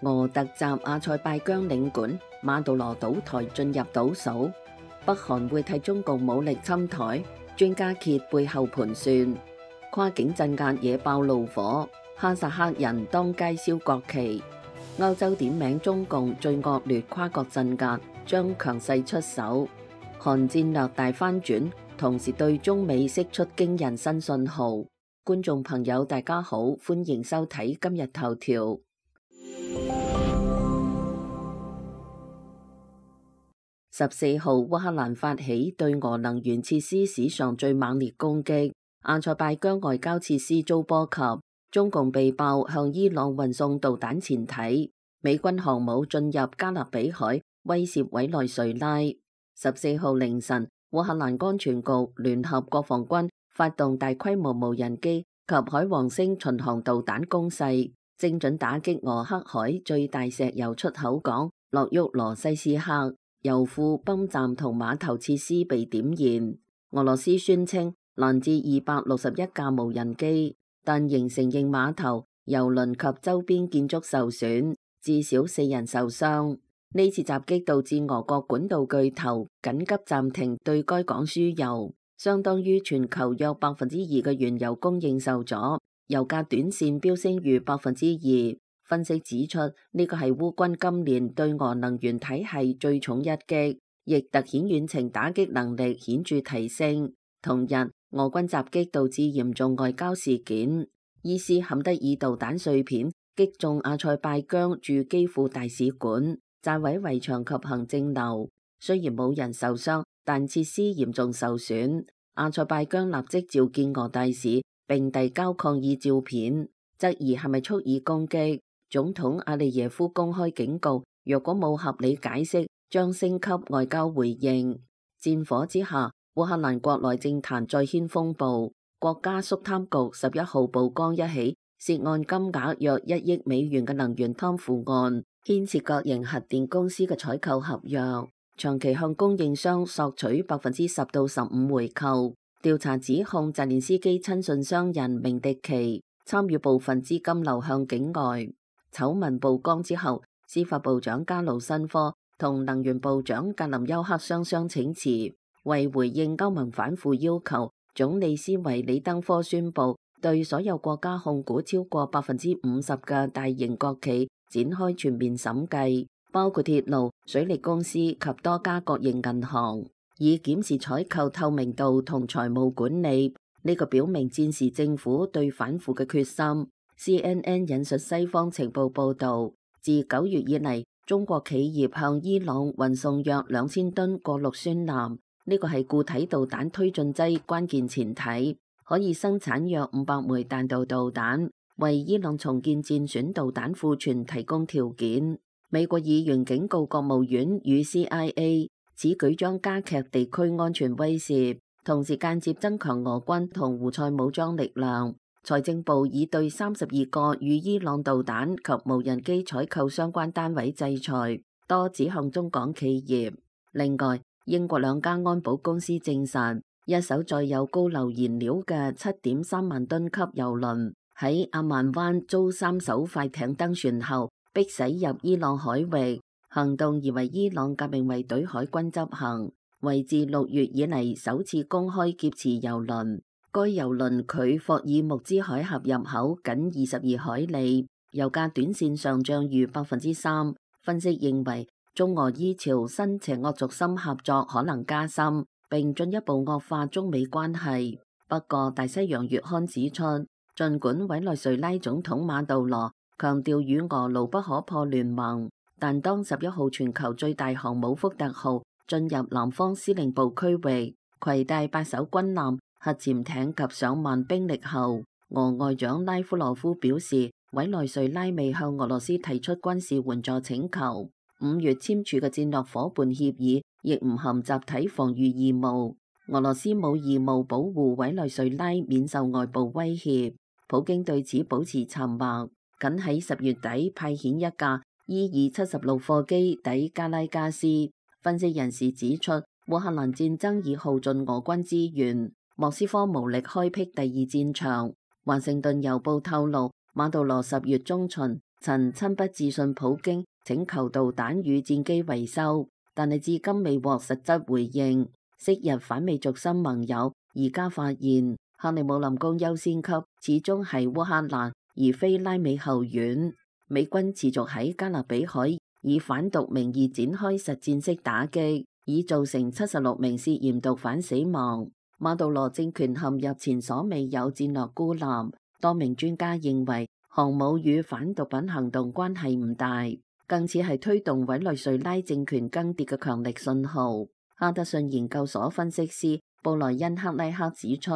俄突襲阿塞拜疆領館，馬杜羅倒台進入倒數。北韓會替中共武力侵台，專家揭背後盤算。跨境鎮壓惹爆怒火，哈薩克人當街燒國旗。歐洲點名中共最惡劣跨國鎮壓，將強勢出手。韓戰略大翻轉，同時對中美釋出驚人新信號。觀眾朋友大家好，歡迎收睇今日頭條。14號，烏克蘭發起對俄能源設施史上最猛烈攻擊，阿塞拜疆外交設施遭波及，中共被爆向伊朗運送導彈前體，美軍航母進入加勒比海，威懾委內瑞拉。14號凌晨，烏克蘭安全局聯合國防軍發動大規模無人機及海王星巡航導彈攻勢，精準打擊俄黑海最大石油出口港諾沃羅西斯克，油庫、泵站同碼頭設施被點燃。俄羅斯宣稱攔截261架無人機，但仍承認碼頭、油輪及周邊建築受損，至少4人受傷。呢次襲擊導致俄國管道巨頭緊急暫停對該港輸油，相當於全球約2%嘅原油供應受阻，油價短線飆升逾2%。分析指出，呢個係烏軍今年對俄能源體系最重一擊，亦突顯遠程打擊能力顯著提升。同日，俄軍襲擊導致嚴重外交事件，伊斯坎德爾導彈碎片擊中阿塞拜疆駐基輔大使館，炸毀圍牆及行政樓。雖然冇人受傷，但設施嚴重受損。阿塞拜疆立即召見俄大使，並遞交抗議照片，質疑係咪蓄意攻擊。總統阿利耶夫公開警告，若果冇合理解釋，將升級外交回應。戰火之下，烏克蘭國內政壇再掀風暴。國家肅貪局11號曝光一起涉案金額約1億美元嘅能源貪腐案，牽涉國營核電公司嘅採購合約，長期向供應商索取10%到15%回扣。調查指控澤連斯基親信商人明迪奇參與部分資金流向境外。醜聞曝光之後，司法部長加魯申科同能源部長格林休克雙雙請辭。為回應歐盟反腐要求，總理斯維里登科宣布對所有國家控股超過50%嘅大型國企展開全面審計，包括鐵路、水利公司及多家國營銀行，以檢視採購透明度同財務管理。呢個表明戰時政府對反腐嘅決心。CNN 引述西方情報報導，自9月以嚟，中國企業向伊朗運送約2000噸過氯酸鈉，呢個係固體導彈推進劑關鍵前提，可以生產約500枚彈道導彈，為伊朗重建戰損導彈庫存提供條件。美國議員警告國務院與 CIA， 此舉將加劇地區安全威懾，同時間接增強俄軍同胡塞武裝力量。財政部已對32個與伊朗導彈及無人機採購相關單位制裁，多指向中港企業。另外，英國2家安保公司證實，一艘載有高硫燃料嘅7.3萬噸級油輪喺阿曼灣遭3艘快艇登船後，逼駛入伊朗海域。行動疑為伊朗革命衛隊海軍執行，為自6月以嚟首次公開劫持油輪。該油輪距霍爾木茲海峽入口僅22海里，油價短線上漲逾3%。分析認為，中俄依朝新邪惡軸心合作可能加深，並進一步惡化中美關係。不過，大西洋月刊指出，儘管委內瑞拉總統馬杜羅強調與俄牢不可破聯盟，但當11號全球最大航母福特號進入南方司令部區域，攜帶8艘軍艦、核潛艇及上萬兵力後，俄外長拉夫羅夫表示，委內瑞拉未向俄羅斯提出軍事援助請求。5月簽署嘅戰略夥伴協議亦唔含集體防禦義務，俄羅斯冇義務保護委內瑞拉免受外部威脅。普京對此保持沉默，僅喺10月底派遣一架伊爾76貨機抵加拉加斯。分析人士指出，烏克蘭戰爭已耗盡俄軍資源，莫斯科無力開闢第二戰場。華盛頓郵報透露，馬杜羅10月中旬曾親筆致信普京請求導彈與戰機維修，但係至今未獲實質回應。昔日反美軸心盟友而家發現克里姆林宮優先級始終係烏克蘭，而非拉美後院。美軍持續喺加勒比海以反毒名義展開實戰式打擊，已造成76名涉嫌毒販死亡。馬杜羅政權陷入前所未有戰略孤立。多名專家認為，航母與反毒品行動關係唔大，更似係推動委內瑞拉政權更迭嘅強力信號。哈德遜研究所分析師布萊恩克拉克指出，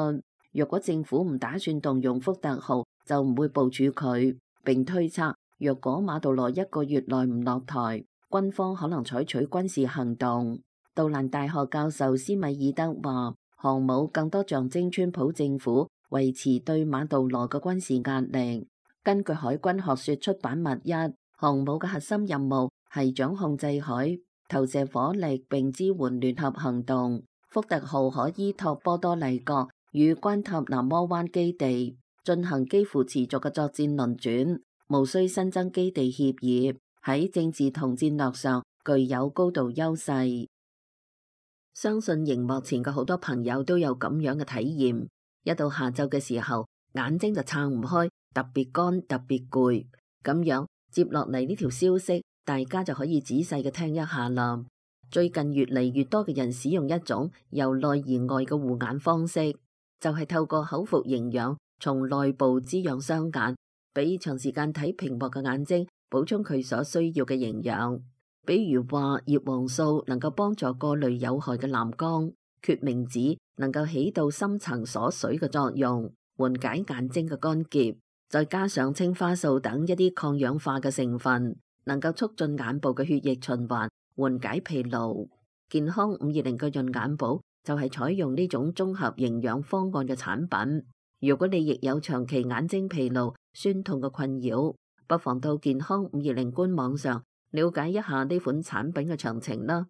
若果政府唔打算動用福特號，就唔會部署佢。並推測，若果馬杜羅一個月內唔落台，軍方可能採取軍事行動。杜蘭大學教授斯米爾德話，航母更多象徵川普政府維持對馬杜羅嘅軍事壓力。根據海軍學說出版物1，航母嘅核心任務係掌控制海、投射火力並支援聯合行動。福特號可依託波多黎各與關塔那摩灣基地進行幾乎持續嘅作戰輪轉，無需新增基地協議，喺政治同戰略上具有高度優勢。相信熒幕前嘅好多朋友都有咁樣嘅體驗，一到下晝嘅時候，眼睛就撐唔開，特別乾，特別攰。咁樣接落嚟呢條消息，大家就可以仔細嘅聽一下啦。最近越嚟越多嘅人使用一種由內而外嘅護眼方式，就係透過口服營養，從內部滋養雙眼，俾長時間睇屏幕嘅眼睛補充佢所需要嘅營養。比如話葉黃素能夠幫助過濾有害嘅藍光，決明子能夠起到深層鎖水嘅作用，緩解眼睛嘅乾澀，再加上青花素等一啲抗氧化嘅成分，能夠促進眼部嘅血液循環，緩解疲勞。健康520嘅潤眼寶就係採用呢種綜合營養方案嘅產品。如果你亦有長期眼睛疲勞、酸痛嘅困擾，不妨到健康520官網上了解一下呢款產品嘅詳情啦。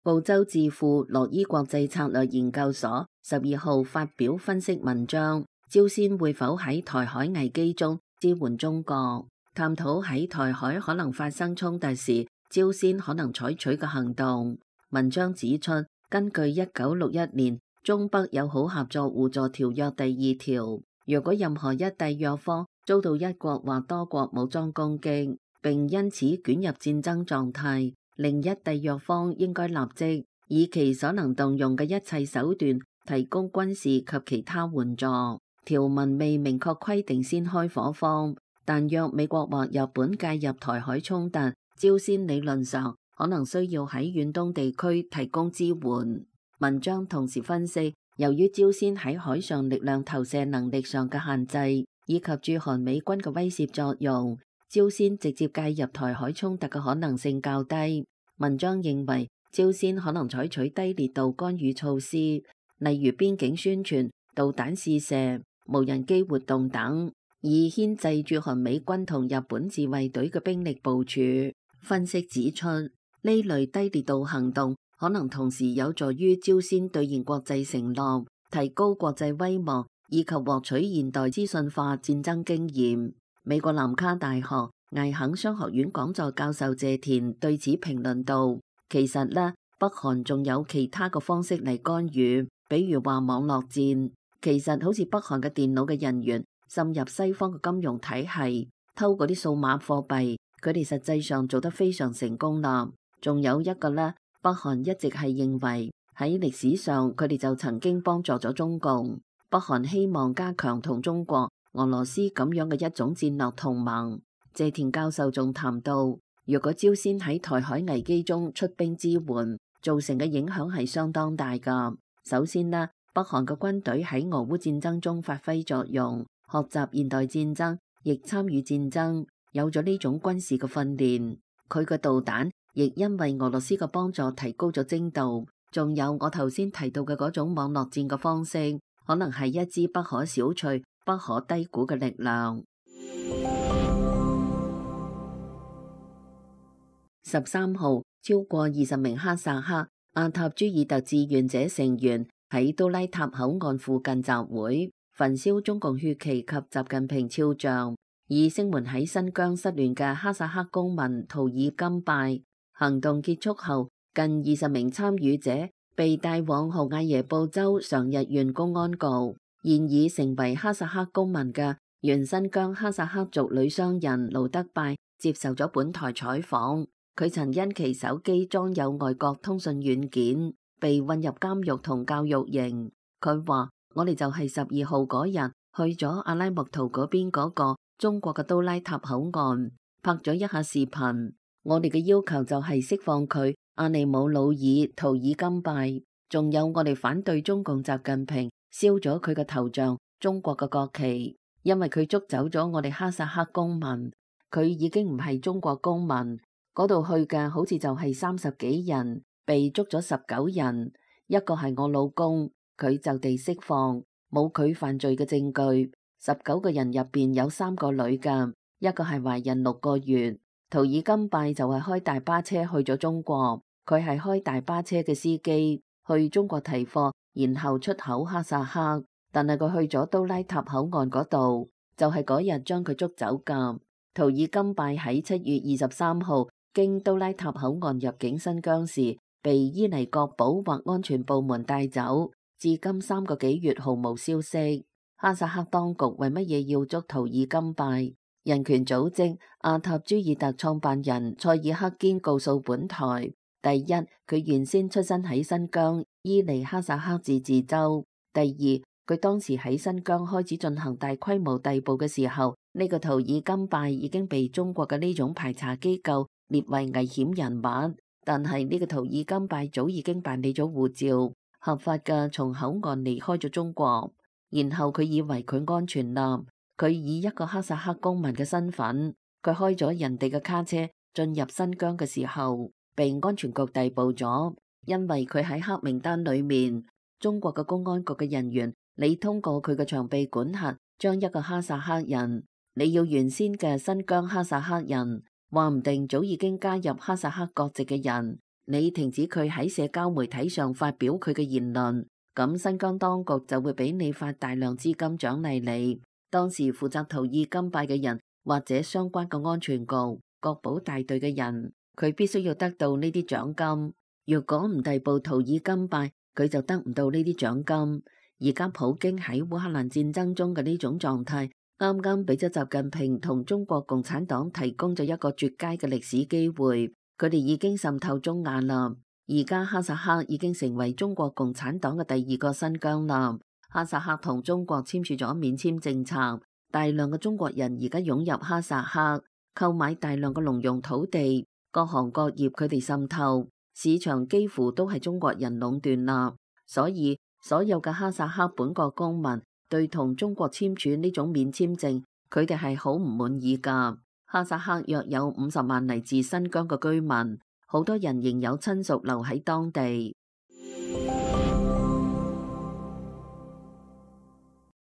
澳洲智庫洛伊國際策略研究所12號發表分析文章，朝鮮會否喺台海危機中支援中國，探討喺台海可能發生衝突時，朝鮮可能採取嘅行動。文章指出，根據1961年中北友好合作互助條約第2條，若果任何一締約方遭到一國或多國武裝攻擊，並因此捲入戰爭狀態，另一締約方應該立即以其所能動用嘅一切手段提供軍事及其他援助。條文未明確規定先開火方，但若美國或日本介入台海衝突，朝鮮理論上可能需要喺遠東地區提供支援。文章同時分析，由於朝鮮喺海上力量投射能力上嘅限制，以及駐韓美軍嘅威懾作用，朝鮮直接介入台海衝突嘅可能性較低。文章認為，朝鮮可能採取低烈度干預措施，例如邊境宣傳、導彈試射、無人機活動等，以牽制駐韓美軍同日本自衛隊嘅兵力部署。分析指出，呢類低烈度行動可能同時有助於朝鮮兌現國際承諾，提高國際威望，以及獲取現代資訊化戰爭經驗。美國南卡大學艾肯商學院講座教授謝田對此評論道：其實呢，北韓仲有其他嘅方式嚟干預，比如話網絡戰。其實好似北韓嘅電腦嘅人員滲入西方嘅金融體系，偷嗰啲數碼貨幣，佢哋實際上做得非常成功啦。仲有一個呢，北韓一直係認為喺歷史上佢哋就曾經幫助咗中共。北韓希望加強同中國、俄羅斯咁樣嘅一種戰略同盟。謝田教授仲談到，如果朝鮮喺台海危機中出兵支援，造成嘅影響係相當大㗎。首先呢，北韓嘅軍隊喺俄烏戰爭中發揮作用，學習現代戰爭，亦參與戰爭，有咗呢種軍事嘅訓練。佢嘅導彈亦因為俄羅斯嘅幫助提高咗精度。仲有我頭先提到嘅嗰種網絡戰嘅方式，可能係一支不可小覷、不可低估嘅力量。13號，超過20名哈薩克阿塔朱爾特志願者成員喺都拉塔口岸附近集會，焚燒中共血旗及習近平肖像，以聲援喺新疆失聯嘅哈薩克公民圖爾金拜。行動結束後，近20名參與者被帶往豪艾耶布州常日縣公安局。現已成為哈薩克公民嘅原新疆哈薩克族女商人盧德拜接受咗本台採訪。佢曾因其手機裝有外國通訊軟件，被運入監獄同教育營。佢話：我哋就係12號嗰日去咗阿拉木圖嗰邊嗰個中國嘅都拉塔口岸，拍咗一下視頻。我哋嘅要求就係釋放佢阿尼姆魯爾圖爾金拜，仲有我哋反對中共習近平燒咗佢嘅頭像、中國嘅國旗，因為佢捉走咗我哋哈薩克公民，佢已經唔係中國公民。嗰度去嘅好似就係30幾人，被捉咗19人，一個係我老公，佢就地釋放，冇佢犯罪嘅證據。19個人入邊有3個女嘅，一個係懷孕6個月。圖爾金拜就係開大巴車去咗中國，佢係開大巴車嘅司機，去中國提貨，然後出口哈薩克。但係佢去咗都拉塔口岸嗰度，就係嗰日將佢捉走㗎。圖爾金拜喺7月23號經都拉塔口岸入境新疆時，被伊尼國保或安全部門帶走，至今3個幾月毫無消息。哈薩克當局為乜嘢要捉圖爾金拜？人權組織阿塔朱爾特創辦人塞爾克堅告訴本台：第一，佢原先出生喺新疆伊尼哈薩克自治州；第二，佢當時喺新疆開始進行大規模逮捕嘅時候，呢個圖爾金拜已經被中國嘅呢種排查機構列為危險人物。但係呢個圖爾金拜早已經辦理咗護照，合法嘅從口岸離開咗中國，然後佢以為佢安全啦。佢以一個哈薩克公民嘅身份，佢開咗人哋嘅卡車進入新疆嘅時候，被安全局逮捕咗，因為佢喺黑名單裏面。中國嘅公安局嘅人員，你通過佢嘅長臂管轄，將一個哈薩克人，你要原先嘅新疆哈薩克人，話唔定早已經加入哈薩克國籍嘅人，你停止佢喺社交媒體上發表佢嘅言論，咁新疆當局就會俾你發大量資金獎勵你。當時負責圖爾金拜嘅人或者相關嘅安全局、國保大隊嘅人，佢必須要得到呢啲獎金。如果唔逮捕圖爾金拜，佢就得唔到呢啲獎金。而家普京喺烏克蘭戰爭中嘅呢種狀態，啱啱俾咗習近平同中國共產黨提供咗一個絕佳嘅歷史機會。佢哋已經滲透中亞啦，而家哈薩克已經成為中國共產黨嘅第2個新疆啦。哈薩克同中國簽署咗免簽政策，大量嘅中國人而家湧入哈薩克，購買大量嘅農用土地，各行各業佢哋滲透，市場幾乎都係中國人壟斷啦。所以所有嘅哈薩克本國公民對同中國簽署呢種免簽證，佢哋係好唔滿意㗎。哈薩克約有50萬嚟自新疆嘅居民，好多人仍有親屬留喺當地。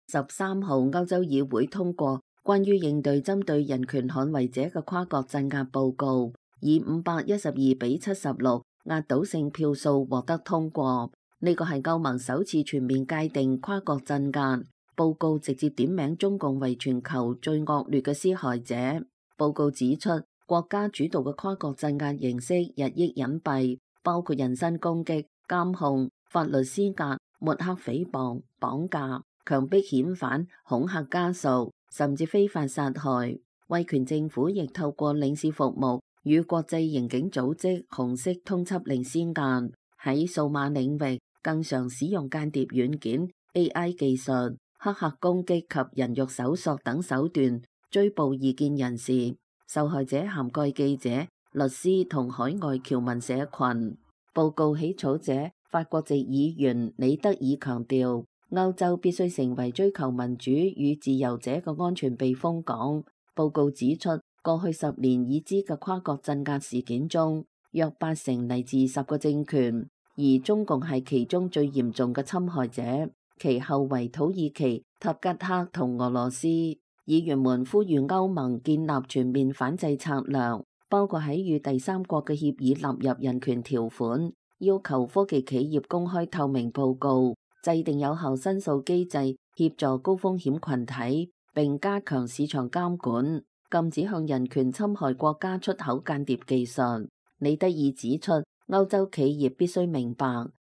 13號歐洲議會通過關於應對針對人權捍衛者嘅跨國鎮壓報告，以512比76壓倒性票數獲得通過。呢個係歐盟首次全面界定跨國鎮壓。報告直接點名中共為全球最惡劣嘅施害者。報告指出，國家主導嘅跨國鎮壓形式日益隱蔽，包括人身攻擊、監控、法律施壓、抹黑誹謗、綁架、強迫遣返、恐嚇家屬，甚至非法殺害。威權政府亦透過領事服務與國際刑警組織紅色通緝令施壓。喺數碼領域，更常使用間諜軟件、AI 技術、黑客攻擊及人肉搜索等手段追捕異見人士。受害者涵蓋記者、律師同海外僑民社群。報告起草者法國籍議員李德爾強調，歐洲必須成為追求民主與自由者嘅安全避風港。報告指出，過去10年已知嘅跨國鎮壓事件中，約80%嚟自10個政權，而中共係其中最嚴重嘅侵害者，其後為土耳其、塔吉克同俄羅斯。議員們呼籲歐盟建立全面反制策略，包括喺與第三國嘅協議納入人權條款，要求科技企業公開透明報告，制定有效申訴機制，協助高風險群體，並加強市場監管，禁止向人權侵害國家出口間諜技術。李德爾指出，歐洲企業必須明白，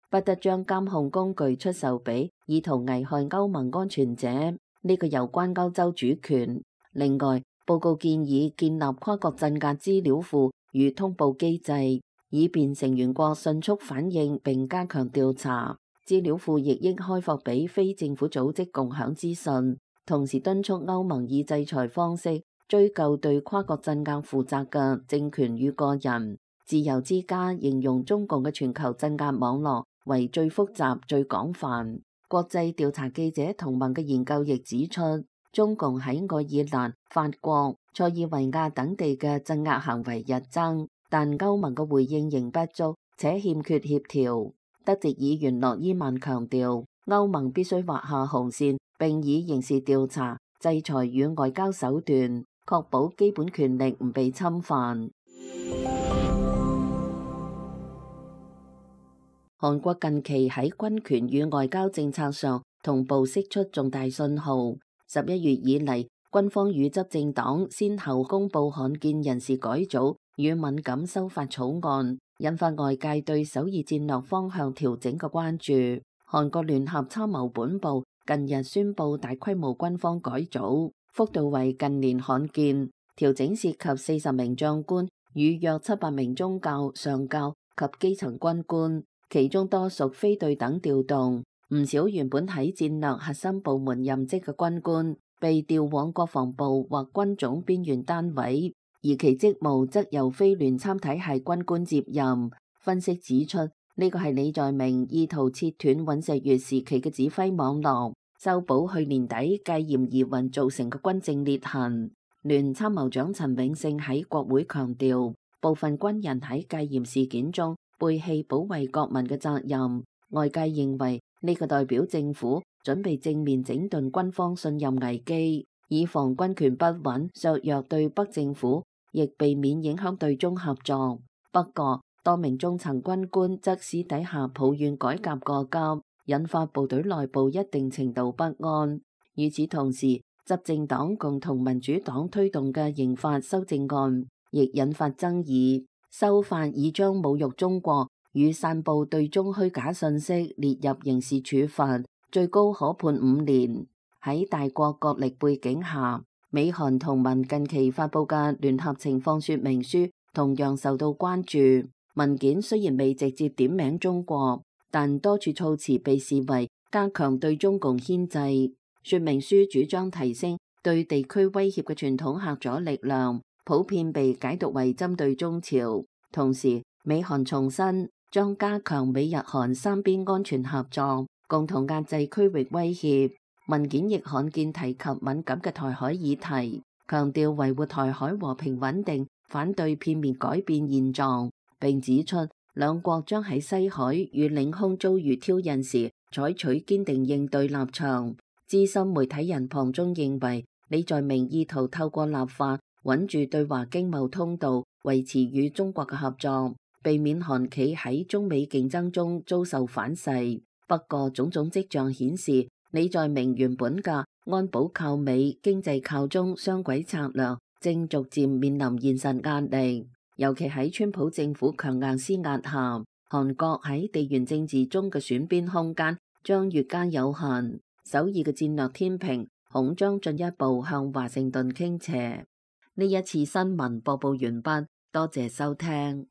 不得將監控工具出售俾意圖危害歐盟安全者，呢個有關歐洲主權。另外，報告建議建立跨國鎮壓資料庫與通報機制，以便成員國迅速反應並加強調查。資料庫亦應開放俾非政府組織共享資訊，同時敦促歐盟以制裁方式追究對跨國鎮壓負責嘅政權與個人。自由之家形容中共嘅全球鎮壓網絡為最複雜、最廣泛。國際調查記者同盟嘅研究亦指出，中共喺愛爾蘭、法國、塞爾維亞等地嘅鎮壓行為日增，但歐盟嘅回應仍不足，且欠缺協調。德籍議員諾伊曼強調，歐盟必須劃下紅線，並以刑事調查、制裁與外交手段，確保基本權力唔被侵犯。韓國近期喺軍權與外交政策上同步釋出重大信號。11月以嚟，軍方與執政黨先後公布罕見人事改組與敏感修法草案，引發外界對首爾戰略方向調整嘅關注。韓國聯合參謀本部近日宣布大規模軍方改組，幅度為近年罕見，調整涉及40名將官與約700名中校、上校及基層軍官。其中多屬非對等調動，唔少原本喺戰略核心部門任職嘅軍官被調往國防部或軍種邊緣單位，而其職務則由非聯參體系軍官接任。分析指出，呢個係李在明意圖切斷尹錫悅時期嘅指揮網絡，修補去年底戒嚴疑雲造成嘅軍政裂痕。聯參謀長陳永勝喺國會強調，部分軍人喺戒嚴事件中背棄保衛國民嘅責任，外界認為呢個代表政府準備正面整頓軍方信任危機，以防軍權不穩削弱對北政府，亦避免影響對中合作。不過，多名中層軍官則私底下抱怨改革過急，引發部隊內部一定程度不安。與此同時，執政黨共同民主黨推動嘅刑法修正案亦引發爭議。修法已將侮辱中國與散布對中虛假信息列入刑事處罰，最高可判5年。喺大國角力背景下，美韓同盟近期發布嘅聯合情況說明書同樣受到關注。文件雖然未直接點名中國，但多處措辭被視為加強對中共牽制。說明書主張提升對地區威脅嘅傳統嚇阻力量，普遍被解讀為針對中朝。同時，美韓重申將加強美日韓三邊安全合作，共同壓制區域威脅。文件亦罕見提及敏感嘅台海議題，強調維護台海和平穩定，反對片面改變現狀，並指出兩國將喺西海與領空遭遇挑釁時採取堅定應對立場。資深媒體人龐中認為，李在明意圖透過立法穩住對華經貿通道，維持與中國嘅合作，避免韓企喺中美競爭中遭受反噬。不過，種種跡象顯示，李在明原本嘅安保靠美、經濟靠中雙軌策略正逐漸面臨現實壓力。尤其喺川普政府強硬施壓下，韓國喺地緣政治中嘅選邊空間將越加有限。首爾嘅戰略天平恐將進一步向華盛頓傾斜。呢一次新聞播報完畢，多謝收聽。